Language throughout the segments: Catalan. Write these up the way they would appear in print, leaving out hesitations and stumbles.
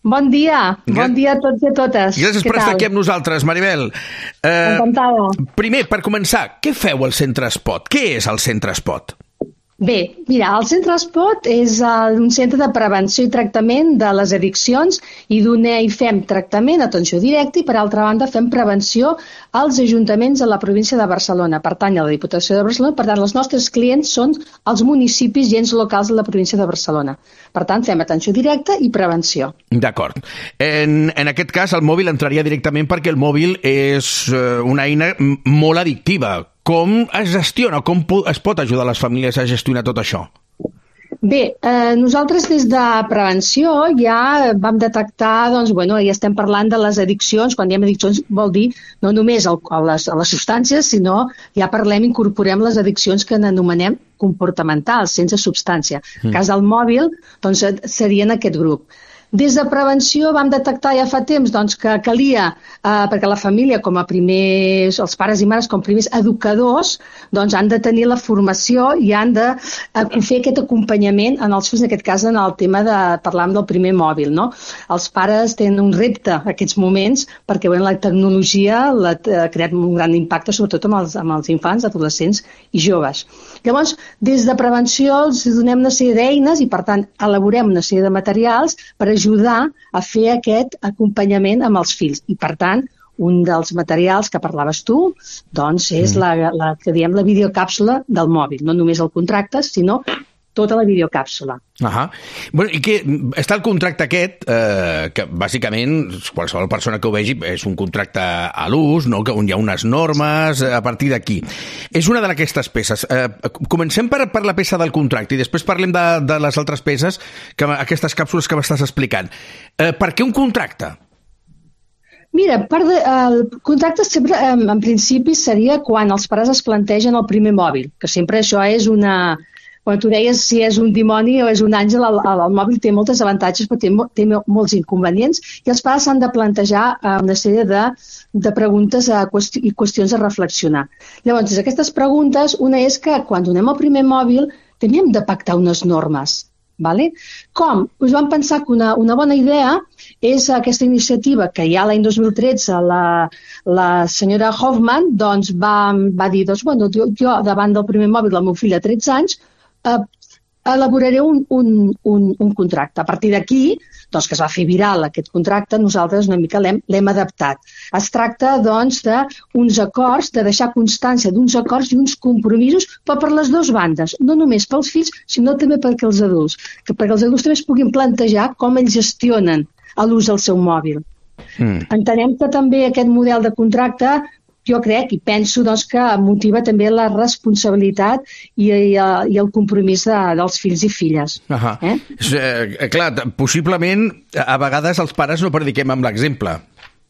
Bon dia a tots i a totes. Gràcies per estar aquí amb nosaltres, Maribel. Encantada. Primer, per començar, què feu al Centre Espot? Què és el Centre Espot? Bé, mira, el Centre Espot és un centre de prevenció i tractament de les addiccions i fem tractament, atenció directa, i per altra banda fem prevenció als ajuntaments de la província de Barcelona. Pertany a la Diputació de Barcelona, per tant els nostres clients són els municipis i ens locals de la província de Barcelona. Per tant, fem atenció directa i prevenció. D'acord. En aquest cas, el mòbil entraria directament perquè el mòbil és una eina molt addictiva. Com es gestiona? Com es pot ajudar les famílies a gestionar tot això? Bé, nosaltres des de prevenció ja vam detectar, ja estem parlant de les addiccions. Quan diem addiccions vol dir no només a les substàncies, sinó ja incorporem les addiccions que n'anomenem comportamentals, sense substància. En cas del mòbil, seria en aquest grup. Des de prevenció vam detectar ja fa temps que calia, perquè la família, com a primers, els pares i mares com primers educadors, han de tenir la formació i han de fer aquest acompanyament en els fills, en aquest cas en el tema de parlar del primer mòbil. No? Els pares tenen un repte en aquests moments perquè la tecnologia ha creat un gran impacte, sobretot amb els infants, adolescents i joves. Llavors, des de prevenció els donem una sèrie d'eines i, per tant, elaborem una sèrie de materials per ajudar a fer aquest acompanyament amb els fills. I, per tant, un dels materials que parlaves tu és la videocàpsula del mòbil. No només el contracte, sinó tota la videocàpsula. Bueno, i què està el contracte aquest, que bàsicament qualsevol persona que ho vegi és un contracte a l'ús, no? On hi ha unes normes a partir d'aquí. És una d'aquestes peces. Comencem per la peça del contracte i després parlem de les altres peces, aquestes càpsules que m'estàs explicant. Per què un contracte? Mira, el contracte sempre, en principi, seria quan els pares es plantegen el primer mòbil, que sempre això és una... Quan tu deies si és un dimoni o és un àngel, el mòbil té moltes avantatges però té molts inconvenients i els pares s'han de plantejar una sèrie de preguntes i qüestions a reflexionar. Llavors, aquestes preguntes, una és que quan donem el primer mòbil també hem de pactar unes normes. Vale? Com? Us vam pensar que una bona idea és aquesta iniciativa que ja l'any 2013 la senyora Hoffman va dir jo davant del primer mòbil del meu fill de 13 anys elaboraré un contracte. A partir d'aquí, que es va fer viral aquest contracte, nosaltres una mica l'hem adaptat. Es tracta, d'uns acords, de deixar constància d'uns acords i uns compromisos, però per les dues bandes, no només pels fills, sinó també perquè els adults també es puguin plantejar com ells gestionen l'ús del seu mòbil. Entenem que també aquest model de contracte jo crec i penso que motiva també la responsabilitat i el compromís dels fills i filles. Clar, possiblement a vegades els pares no prediquem amb l'exemple.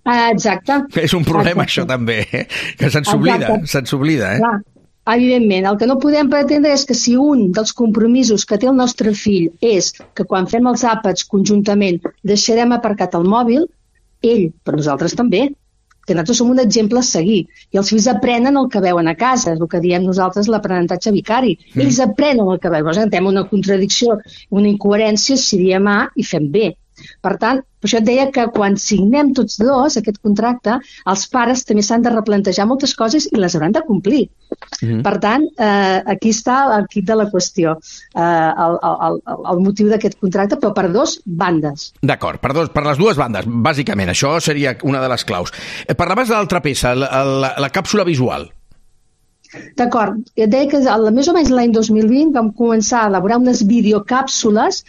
Exacte. És un problema això també, que se'ns oblida. Clar. Evidentment, el que no podem pretendre és que si un dels compromisos que té el nostre fill és que quan fem els àpats conjuntament deixarem aparcat el mòbil, ell, però nosaltres també, que nosaltres som un exemple a seguir. I els fills aprenen el que veuen a casa, és el que diem nosaltres l'aprenentatge vicari. Ells aprenen el que veuen. Nosaltres tenim una contradicció, una incoherència si diem A i fem B. Per tant, per això et deia que quan signem tots dos aquest contracte, els pares també s'han de replantejar moltes coses i les hauran de complir. Per tant, aquí està el quid de la qüestió, el motiu d'aquest contracte, però per dues bandes. D'acord, per les dues bandes, bàsicament. Això seria una de les claus. Parlaves de l'altra peça, la càpsula visual. D'acord, et deia que més o menys l'any 2020 vam començar a elaborar unes videocàpsules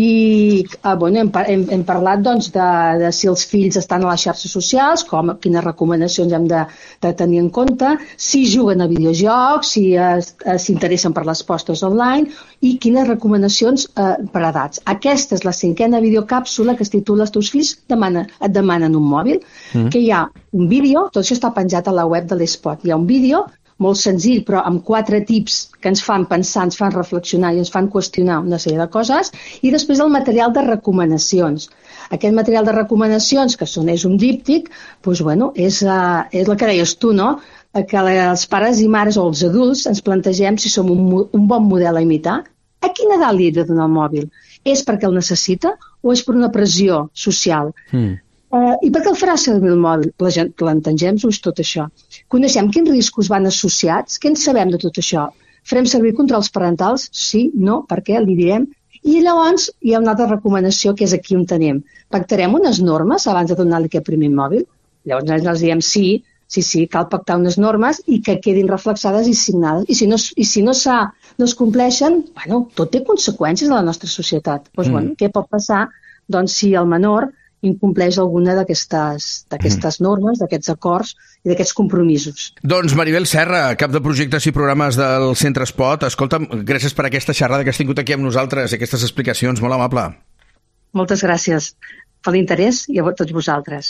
i hem parlat de si els fills estan a les xarxes socials, quines recomanacions hem de tenir en compte, si juguen a videojocs, si s'interessen per les postes online i quines recomanacions per edats. Aquesta és la 5a videocàpsula que es titula Els teus fills et demanen un mòbil, que hi ha un vídeo, tot això està penjat a la web de l'Espot, hi ha un vídeo molt senzill, però amb 4 tips que ens fan pensar, ens fan reflexionar i ens fan qüestionar una sèrie de coses, i després el material de recomanacions. Aquest material de recomanacions, que és un díptic, és el que deies tu, no? Que els pares i mares o els adults ens plantegem si som un bon model a imitar. A quina edat li he de donar el mòbil? És perquè el necessita o és per una pressió social? I per què el farà servir el mòbil? Plantegem tot això. Coneixem quins riscos van associats? Què en sabem de tot això? Farem servir controls parentals? Sí, no, per què? Li direm. I llavors hi ha una altra recomanació que és aquí on tenim. Pactarem unes normes abans de donar-li aquest primer mòbil? Llavors ens diem sí, cal pactar unes normes i que quedin reflexades i signades. I si no es compleixen, tot té conseqüències a la nostra societat. Què pot passar si el menor incompleix alguna d'aquestes normes, d'aquests acords i d'aquests compromisos. Doncs Maribel Serra, cap de projectes i programes del Centre Espot. Escolta'm, gràcies per aquesta xerrada que has tingut aquí amb nosaltres i aquestes explicacions, molt amable. Moltes gràcies per l'interès i a tots vosaltres.